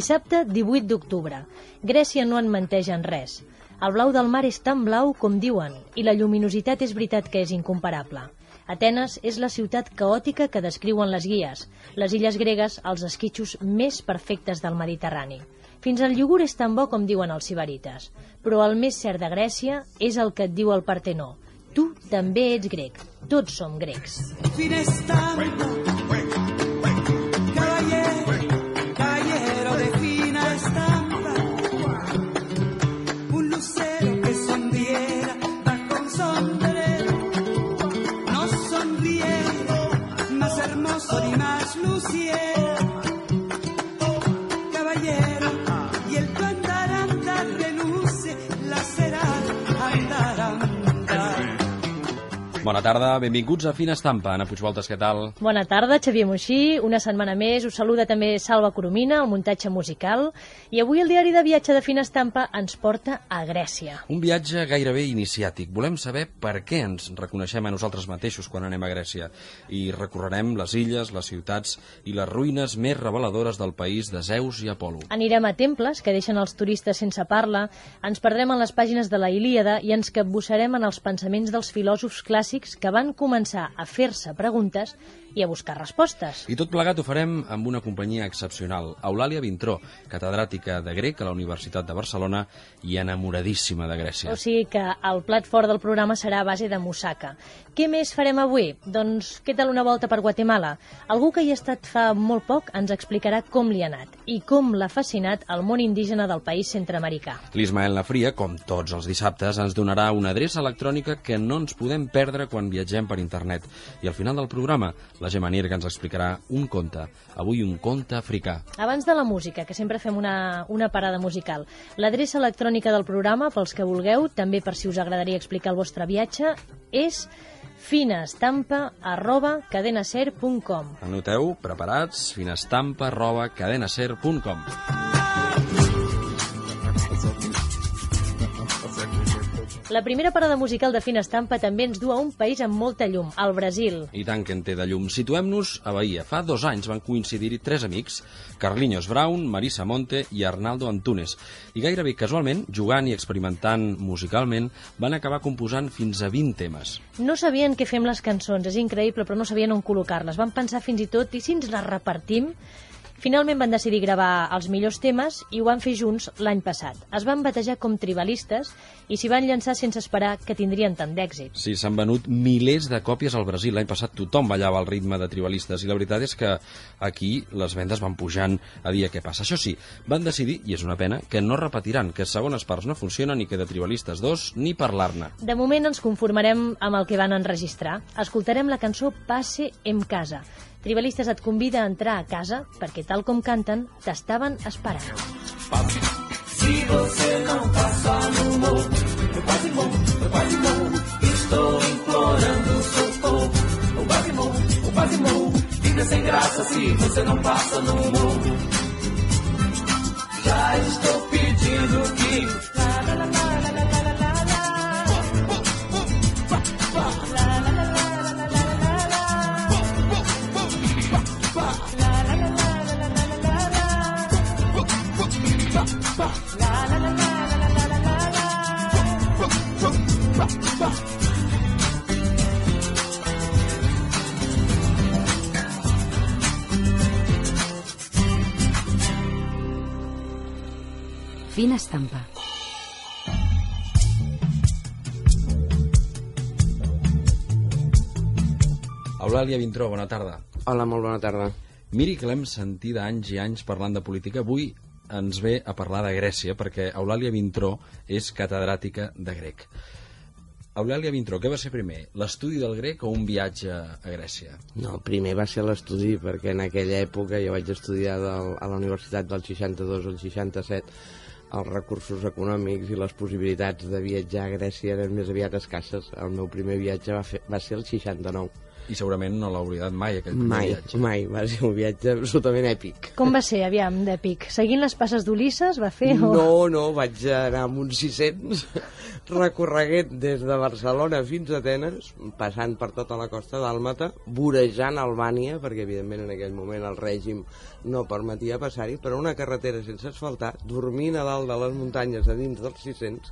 Dissabte 18 d'octubre. Grècia no en menteix en res. El blau del mar és tan blau com diuen, i la lluminositat és veritat que és incomparable. Atenes és la ciutat caòtica que descriuen les guies. Les illes gregues, els esquitxos més perfectes del Mediterrani. Fins al iogurt és tan bo com diuen els sibarites. Però el més cert de Grècia és el que et diu el Partenó. Tu també ets grec. Tots som grecs. Caballero de fina estampa, un lucero que sonriera bajo un sombrero, no sonriera, más hermoso ni más luciera. Caballero, y el tu andaranda reluce, la será andaranda. Bona tarda, benvinguts a Fina Estampa. Anna Puigvoltes, què tal? Bona tarda, Xavier Moixí. Una setmana més. Us saluda també Salva Coromina, el muntatge musical. I avui el diari de viatge de Fina Estampa ens porta a Grècia. Un viatge gairebé iniciàtic. Volem saber per què ens reconeixem a nosaltres mateixos quan anem a Grècia. I recorrerem les illes, les ciutats i les ruïnes més reveladores del país de Zeus i Apol·lo. Anirem a temples que deixen els turistes sense parla, ens perdrem en les pàgines de la Ilíada i ens capbussarem en els pensaments dels filòsofs clàssics que van començar a fer-se preguntes i a buscar respostes. I tot plegat ho farem amb una companyia excepcional. Eulàlia Vintró, catedràtica de grec a la Universitat de Barcelona i enamoradíssima de Grècia. O sigui que el plat fort del programa serà a base de moussaka. Què més farem avui? Doncs què tal una volta per Guatemala? Algú que hi ha estat fa molt poc ens explicarà com li ha anat i com l'ha fascinat el món indígena del país centreamericà. L'Ismael Nafria, com tots els dissabtes, ens donarà una adreça electrònica que no ens podem perdre quan viatgem per internet. I al final del programa, la Gemma Nir, que ens explicarà un conte. Avui un conte africà. Abans de la música, que sempre fem una parada musical, l'adreça electrònica del programa, pels que vulgueu, també per si us agradaria explicar el vostre viatge, és finestampa@cadenaser.com. Anoteu, preparats, finestampa@cadenaser.com. La primera parada musical de Fina Estampa també ens du a un país amb molta llum, el Brasil. I tant que en té de llum. Situem-nos a Bahia. Fa 2 anys van coincidir-hi 3 amics, Carlinhos Brown, Marisa Monte i Arnaldo Antunes. I gairebé casualment, jugant i experimentant musicalment, van acabar composant fins a 20 temes. No sabien què fer amb les cançons, és increïble, però no sabien on col·locar-les. Van pensar fins i tot, i si ens les repartim? Finalment van decidir gravar els millors temes i ho van fer junts l'any passat. Es van batejar com tribalistes i s'hi van llançar sense esperar que tindrien tant d'èxit. Sí, s'han venut milers de còpies al Brasil. L'any passat tothom ballava al ritme de tribalistes i la veritat és que aquí les vendes van pujant a dia que passa. Això sí, van decidir, i és una pena, que no repetiran, que segones parts no funcionen i que de tribalistes 2 ni parlar-ne. De moment ens conformarem amb el que van enregistrar. Escoltarem la cançó Passe em casa. Tribalistes et convida a entrar a casa perquè, tal com canten, t'estaven esperant. Si você não passa no morro, eu quase morro, estou implorando socorro. Eu quase morro, vida sem graça se você não passa no morro. Já estou pedindo que... Fina Estampa. Eulàlia Vintró, bona tarda. Hola, molt bona tarda. Miri que l'hem sentit anys i anys parlant de política. Avui ens ve a parlar de Grècia perquè Eulàlia Vintró és catedràtica de grec. Eulàlia Vintró, què va ser primer? L'estudi del grec o un viatge a Grècia? No, primer va ser l'estudi, perquè en aquella època jo vaig estudiar a la universitat del 62 al 67. Els recursos econòmics i les possibilitats de viatjar a Grècia eren més aviat escasses. El meu primer viatge va ser el 69. I segurament no l'ha oblidat mai, aquell primer viatge. Mai, va ser un viatge absolutament èpic. Com va ser, aviam, d'èpic? Seguint les passes d'Ulisses va fer? No, vaig anar amb uns 600 recorreguent des de Barcelona fins a Atenes, passant per tota la costa dàlmata, vorejant Albània, perquè evidentment en aquell moment el règim no permetia passar-hi, però una carretera sense asfaltar, dormint a dalt de les muntanyes a dins dels 600,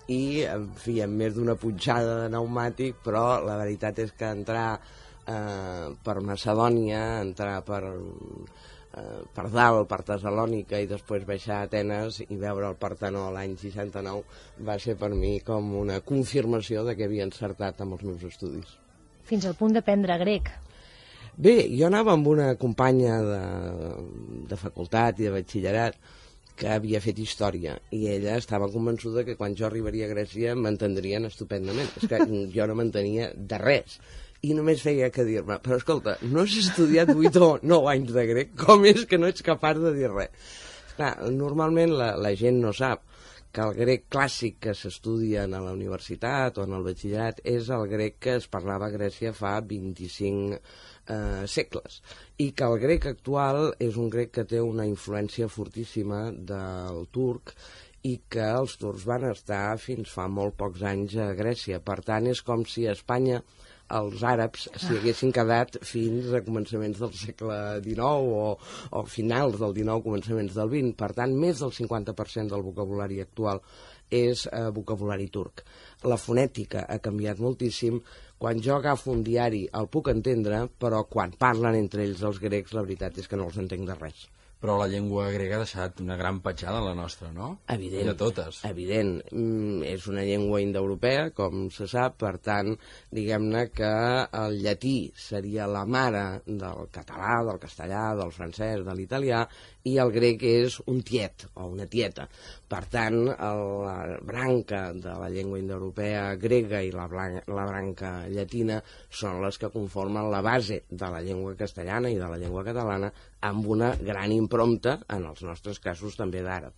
i, en fi, amb més d'una punxada de pneumàtic, però la veritat és que entrar per Macedònia, entrar per dalt, per Tessalònica, i després baixar a Atenes i veure el Partenó l'any 69 va ser per mi com una confirmació de que havia encertat amb els meus estudis. Fins al punt d'aprendre grec. Bé, jo anava amb una companya de facultat i de batxillerat que havia fet història, i ella estava convençuda que quan jo arribaria a Grècia m'entendrien estupendament. És que jo no m'entenia de res, i només feia que dir-me, però escolta, no has estudiat 8 o 9 anys de grec, com és que no ets capaç de dir res? Clar, normalment la gent no sap que el grec clàssic que s'estudia a la universitat o en el batxillerat és el grec que es parlava a Grècia fa 25 segles, i que el grec actual és un grec que té una influència fortíssima del turc, i que els turcs van estar fins fa molt pocs anys a Grècia. Per tant, és com si a Espanya els àrabs s'hi haguessin quedat fins a començaments del segle XIX o finals del XIX, començaments del XX. Per tant, més del 50% del vocabulari actual és vocabulari turc. La fonètica ha canviat moltíssim. Quan jo agafo un diari el puc entendre, però quan parlen entre ells els grecs, la veritat és que no els entenc de res. Però la llengua grega ha deixat una gran petjada en la nostra, no? Evident. I de totes. Evident. És una llengua indoeuropea, com se sap, per tant, diguem-ne que el llatí seria la mare del català, del castellà, del francès, de l'italià, i el grec és un tiet o una tieta. Per tant, la branca de la llengua indoeuropea grega i la branca llatina són les que conformen la base de la llengua castellana i de la llengua catalana, amb una gran impronta, en els nostres casos, també d'àrab.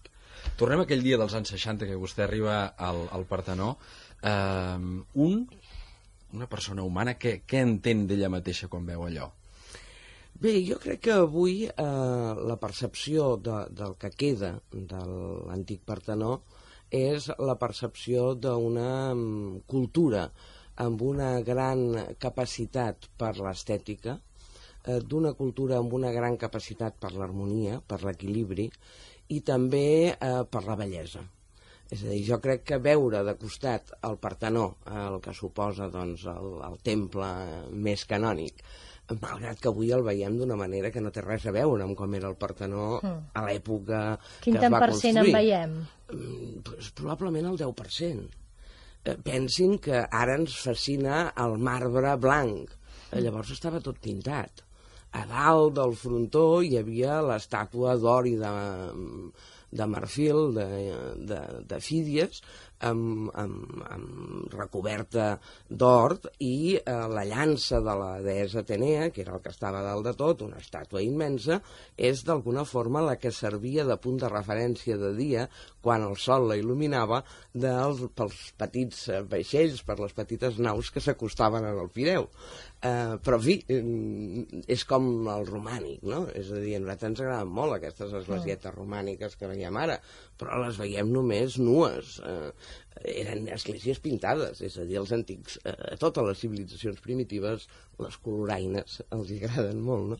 Tornem a aquell dia dels anys 60 que vostè arriba al Partenó. Una persona humana, què entén d'ella mateixa quan veu allò? Bé, jo crec que avui la percepció del que queda de l'antic Partenó és la percepció d'una cultura amb una gran capacitat per l'estètica, d'una cultura amb una gran capacitat per l'harmonia, per l'equilibri, i també per la bellesa. És a dir, jo crec que veure de costat el Partenó, el que suposa doncs, el temple més canònic, malgrat que avui el veiem d'una manera que no té res a veure amb com era el Partenó a l'època que es va construir. Quin tant per cent en veiem? Probablement el 10%. Pensin que ara ens fascina el marbre blanc. Llavors estava tot pintat. A dalt del frontó hi havia l'estàtua d'or i de marfil, de Fídies, amb recoberta d'or, i la llança de la deessa Atenea, que era el que estava dalt de tot, una estàtua immensa, és d'alguna forma la que servia de punt de referència de dia, quan el sol la il·luminava, pels petits vaixells, per les petites naus que s'acostaven al Pireu. Però, en fi, és com el romànic, no? És a dir, a nosaltres ens agraden molt aquestes esglésies romàniques que veiem ara, però les veiem només nues. Eren esglésies pintades, és a dir, els antics, a totes les civilitzacions primitives, les coloraines els agraden molt, no?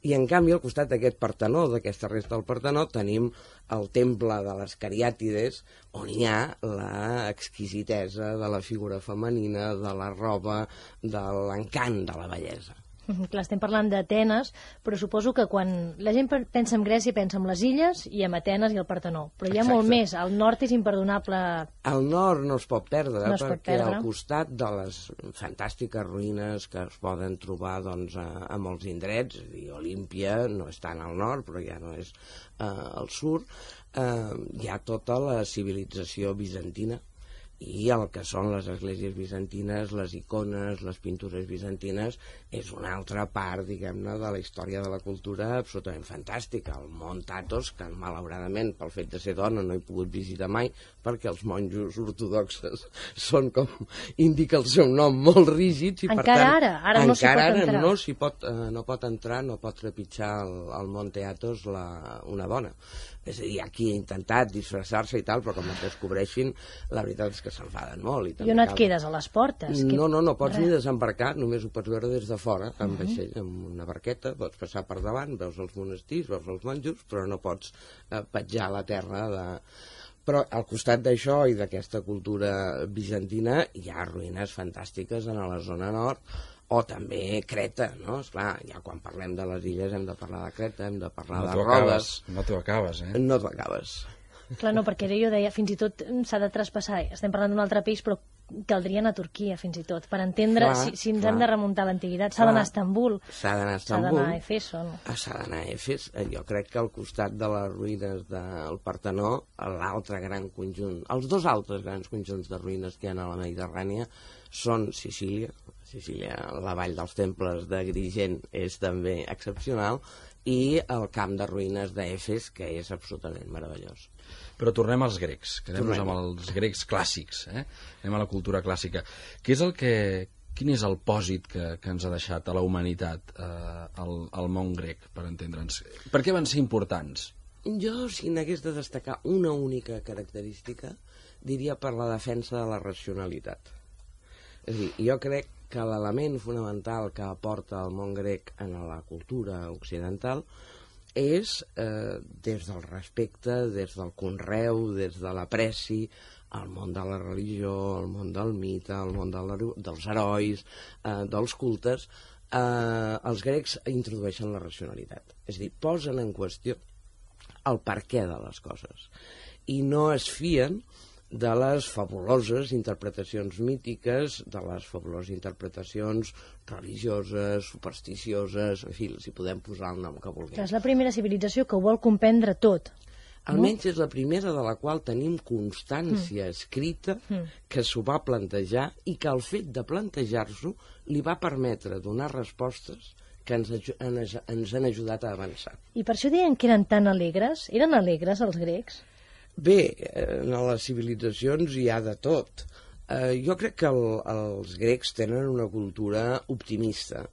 I en canvi, al costat d'aquest Partenó, d'aquesta resta del Partenó, tenim el temple de les Cariàtides, on hi ha l'exquisitesa de la figura femenina, de la roba, de l'encant de la bellesa. Clar, estem parlant d'Atenes, però suposo que quan la gent pensa en Grècia pensa en les illes i en Atenes i el Partenó. Però hi ha molt més, al nord és imperdonable. Al nord no es pot perdre, perquè al costat de les fantàstiques ruïnes que es poden trobar doncs, a molts indrets, Olímpia no és tant al nord, però ja no és al sud, hi ha tota la civilització bizantina, i el que són les esglésies bizantines, les icones, les pintures bizantines, és una altra part, diguem-ne, de la història de la cultura absolutament fantàstica. El mont Athos, que malauradament, pel fet de ser dona, no he pogut visitar mai, perquè els monjos ortodoxes són, com indica el seu nom, molt rígids, i per tant, ara no s'hi pot entrar. no pot entrar, no pot trepitjar el Monte Athos una dona. És a dir, aquí ha intentat disfressar-se i tal, però com es descobreixin, la veritat és que s'enfaden molt. I on et quedes, a les portes? No pots ni desembarcar, només ho pots veure des de fora, amb vaixell, amb una barqueta, pots passar per davant, veus els monestirs, veus els monjos, però no pots petjar la terra Però al costat d'això i d'aquesta cultura bizantina hi ha ruïnes fantàstiques en la zona nord, o també Creta, no? Esclar, ja quan parlem de les illes hem de parlar de Creta, hem de parlar de Rodes. No t'ho acabes, eh? No t'ho acabes. Clar, no, perquè jo deia, fins i tot s'ha de traspassar, estem parlant d'un altre país, però caldria anar a Turquia, fins i tot, per entendre si ens hem de remuntar a l'antiguitat. S'ha d'anar a Istanbul. S'ha d'anar a Istanbul. S'ha d'anar a Efeso, no? S'ha d'anar a Efes. Jo crec que al costat de les ruïnes del Partenó, l'altre gran conjunt, els dos altres grans conjunts de ruïnes que hi ha a la Mediterrània són Sicília, la vall dels temples d'Agrigent és també excepcional, i el camp de ruïnes d'Efes, que és absolutament meravellós. Però tornem als grecs, quedem-nos amb els grecs clàssics, anem a la cultura clàssica. Quin és el pòsit que ens ha deixat a la humanitat el món grec, per entendre'ns? Per què van ser importants? Jo, si n'hagués de destacar una única característica, diria per la defensa de la racionalitat. És a dir, jo crec que l'element fonamental que aporta el món grec en la cultura occidental és, des del respecte, des del conreu, des de l'apreci, el món de la religió, el món del mite, el món dels herois, dels cultes, els grecs introdueixen la racionalitat. És a dir, posen en qüestió el perquè de les coses i no es fien de les fabuloses interpretacions mítiques, de les fabuloses interpretacions religioses, supersticioses, en fi, si podem posar el nom que vulguem. És la primera civilització que ho vol comprendre tot. Almenys és la primera de la qual tenim constància escrita que s'ho va plantejar i que el fet de plantejar-s'ho li va permetre donar respostes que ens han ajudat a avançar. I per això deien que eren tan alegres? Eren alegres els grecs? Bé, en les civilitzacions hi ha de tot. Jo crec que els grecs tenen una cultura optimista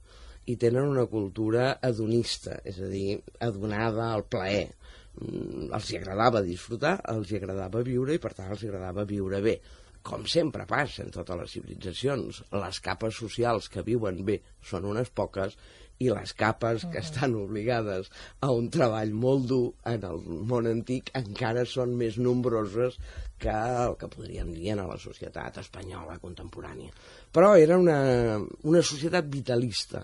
i tenen una cultura hedonista, és a dir, adonada al plaer. Els hi agradava disfrutar, els hi agradava viure i per tant els hi agradava viure bé. Com sempre passa en totes les civilitzacions, les capes socials que viuen bé són unes poques i les capes que estan obligades a un treball molt dur en el món antic encara són més nombroses que el que podríem dir en la societat espanyola contemporània. Però era una societat vitalista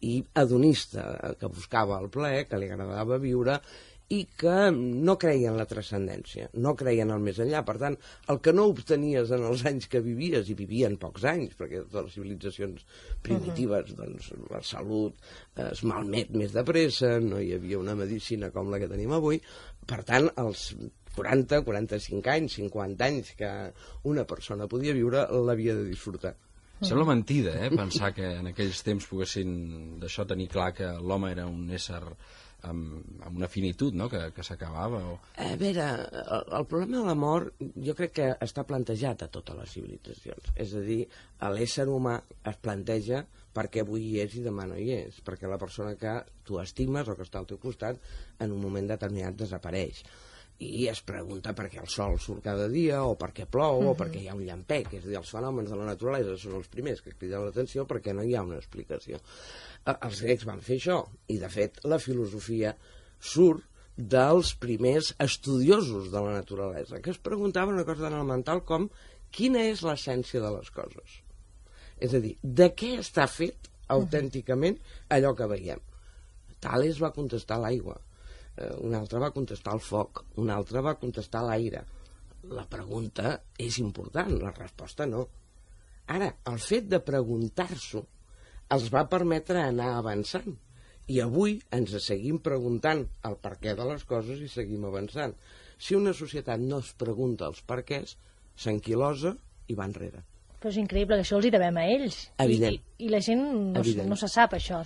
i hedonista, que buscava el plaer, que li agradava viure i que no creien en la transcendència, no creien al més enllà. Per tant, el que no obtenies en els anys que vivies, i vivien pocs anys, perquè totes les civilitzacions primitives, doncs, la salut es malmet més de pressa, no hi havia una medicina com la que tenim avui, per tant, els 40, 45 anys, 50 anys que una persona podia viure, l'havia de disfrutar. Sembla mentida, pensar que en aquells temps poguessin d'això tenir clar que l'home era un ésser amb una finitud, no?, que s'acabava. A veure, el problema de la mort jo crec que està plantejat a totes les civilitzacions. És a dir, l'ésser humà es planteja perquè avui hi és i demà no hi és, perquè la persona que tu estimes o que està al teu costat en un moment determinat desapareix. I es pregunta per què el sol surt cada dia, o per què plou, o per què hi ha un llampec. És a dir, els fenòmens de la naturalesa són els primers que criden l'atenció perquè no hi ha una explicació. Els grecs van fer això, i de fet la filosofia surt dels primers estudiosos de la naturalesa, que es preguntaven una cosa tan elemental com quina és l'essència de les coses. És a dir, de què està fet autènticament allò que veiem? Tales va contestar l'aigua. Un altre va contestar el foc, un altre va contestar l'aire. La pregunta és important, la resposta no. Ara, el fet de preguntar-s'ho els va permetre anar avançant. I avui ens seguim preguntant el perquè de les coses i seguim avançant. Si una societat no es pregunta els perquès, s'anquilosa i va enrere. Però és increïble, que això els hi devem a ells. Evident. I la gent no se sap això,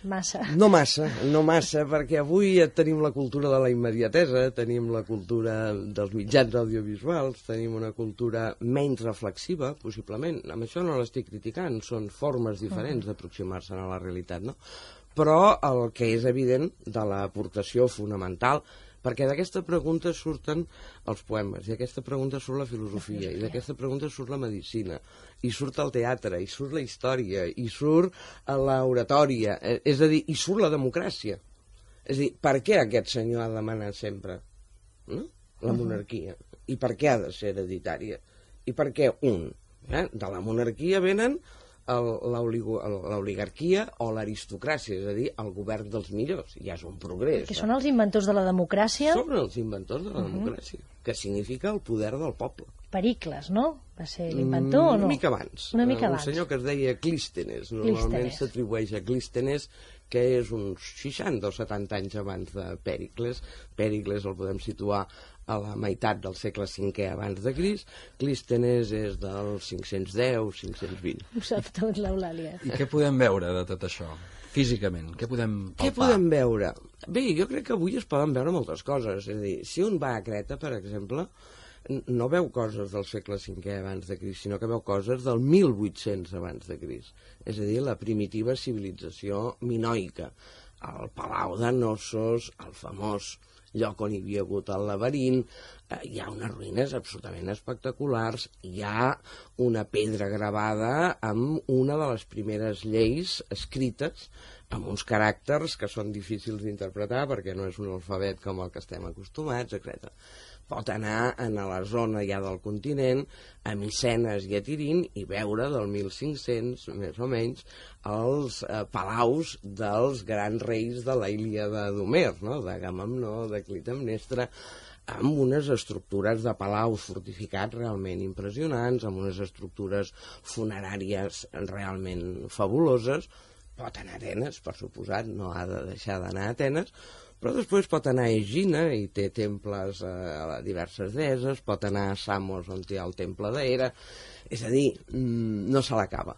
massa. No massa, perquè avui tenim la cultura de la immediatesa, tenim la cultura dels mitjans audiovisuals, tenim una cultura menys reflexiva, possiblement. Amb això no l'estic criticant, són formes diferents d'aproximar-se a la realitat, no? Però el que és evident de l'aportació fonamental, perquè d'aquesta pregunta surten els poemes, i d'aquesta pregunta surt la filosofia, i d'aquesta pregunta surt la medicina, i surt el teatre, i surt la història, i surt l'oratòria, és a dir, i surt la democràcia. És a dir, per què aquest senyor ha demanat sempre, no?, la monarquia? I per què ha de ser hereditària? I per què un? De la monarquia venen l'oligarquia o l'aristocràcia, és a dir, el govern dels millors. Ja és un progrés. Que són els inventors de la democràcia? Són els inventors de la democràcia, que significa el poder del poble. Pericles, no? Va ser l'inventor o no? Una mica abans. Una mica abans. Un senyor que es deia Clístenes. Normalment s'atribueix a Clístenes, que és uns 60 o 70 anys abans de Pèricles. Pèricles el podem situar a la meitat del segle V abans de Crist. Clístenes és del 510-520. Ho sap tot l'Eulàlia. I què podem veure de tot això? Físicament, què podem palpar? Què podem veure? Bé, jo crec que avui es poden veure moltes coses. És a dir, si un va a Creta, per exemple, no veu coses del segle V abans de Crist, sinó que veu coses del 1800 abans de Crist. És a dir, la primitiva civilització minoica. El Palau de Knossos, el famós lloc on hi havia hagut el laberint, hi ha unes ruïnes absolutament espectaculars, hi ha una pedra gravada amb una de les primeres lleis escrites, amb uns caràcters que són difícils d'interpretar perquè no és un alfabet com el que estem acostumats, etc. Pot anar a la zona ja del continent, a Micenes i a Tirint, i veure del 1500, més o menys, els palaus dels grans reis de la Ilíada d'Homer, no? d'Agamemnó, de Clitemnestra, amb unes estructures de palaus fortificats realment impressionants, amb unes estructures funeràries realment fabuloses. Pot anar a Atenes, per suposat, no ha de deixar d'anar a Atenes, però després pot anar a Egina i té temples a diverses deeses, pot anar a Samos on hi ha el temple d'Hera, és a dir, no se l'acaba.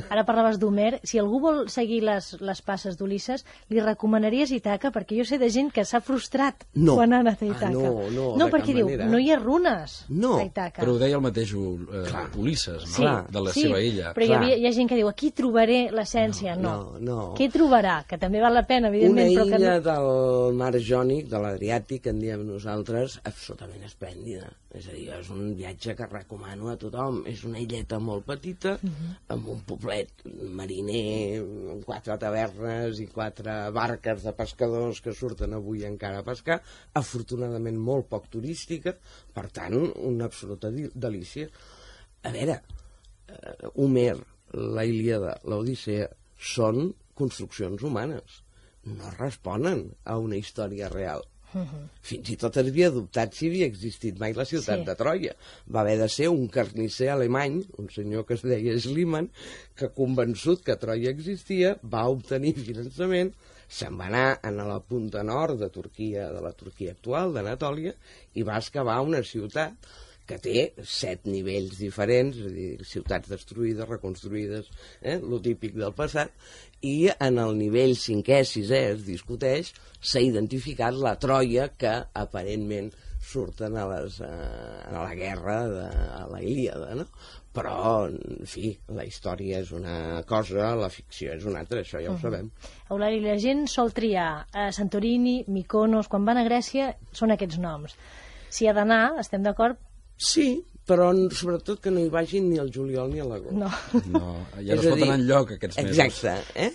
Ara parlaves d'Homer, si algú vol seguir les passes d'Ulisses, li recomanaries Ítaca? Perquè jo sé de gent que s'ha frustrat quan ha anat a Ítaca. No, perquè diu, no hi ha runes a Ítaca. Però ho deia el mateix Ulisses, no? De la seva illa. Però hi ha gent que diu, aquí trobaré l'essència. No. Què trobarà? Que també val la pena, evidentment. Una illa del mar Jònic, de l'Adriàtic, en diem nosaltres, absolutament esplèndida. És a dir, és un viatge que recomano a tothom. És una illeta molt petita, amb un poblet mariner, amb 4 tavernes i 4 barques de pescadors que surten avui encara a pescar, afortunadament molt poc turística, per tant, una absoluta delícia. A veure, Homer, la Ilíada, l'Odissea, són construccions humanes. No responen a una història real. Fins i tot havia dubtat si havia existit mai la ciutat de Troia. Va haver de ser un carnisser alemany, un senyor que es deia Schliemann, que convençut que Troia existia, va obtenir finançament, se'n va anar a la punta nord de Turquia, de la Turquia actual, d'Anatòlia, i va excavar una ciutat que té 7 nivells diferents, és a dir, ciutats destruïdes, reconstruïdes, lo típic del passat, i en el nivell 5è, 6è es discuteix, s'ha identificat la Troia que aparentment surten a la guerra de la Ilíada, no? Però, en fi, la història és una cosa, la ficció és una altra, això ja ho sabem. Eulàlia, la gent sol triar Santorini, Mykonos, quan van a Grècia són aquests noms. Si ha d'anar, estem d'acord? Sí, però sobretot que no hi vagin ni al juliol ni a l'agost. No, ja no es pot anar enlloc aquests mesos. Exacte,